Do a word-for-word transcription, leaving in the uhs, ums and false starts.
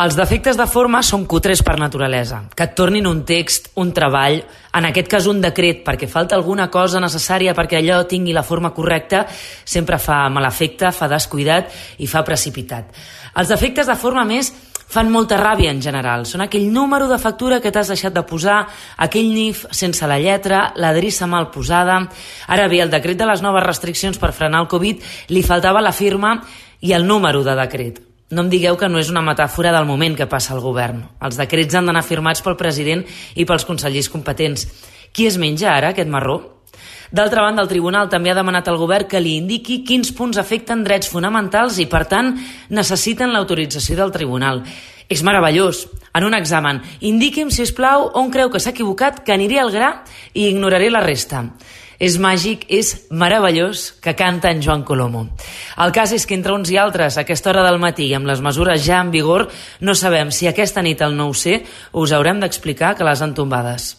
Els defectes de forma són cutres per naturalesa. Que et tornin un text, un treball, en aquest cas un decret, perquè falta alguna cosa necessària perquè allò tingui la forma correcta, sempre fa mal efecte, fa descuidat i fa precipitat. Els defectes de forma, més, fan molta ràbia en general. Són aquell número de factura que t'has deixat de posar, aquell N I F sense la lletra, l'adreça mal posada. Ara bé, el decret de les noves restriccions per frenar el Covid li faltava la firma i el número de decret. No em digueu que no és una metàfora del moment que passa el govern. Els decrets han d'anar firmats pel president i pels consellers competents. Qui es menja ara aquest marró? D'altra banda, el tribunal també ha demanat al govern que li indiqui quins punts afecten drets fonamentals i, per tant, necessiten l'autorització del tribunal. És meravellós. En un examen, indiqui'm, si us plau, on creu que s'ha equivocat, que aniré al gra i ignoraré la resta. És màgic, és meravellós, que canta en Joan Colomo. El cas és que entre uns i altres, a aquesta hora del matí i amb les mesures ja en vigor, no sabem si aquesta nit al nou C us haurem d'explicar que les han tombades.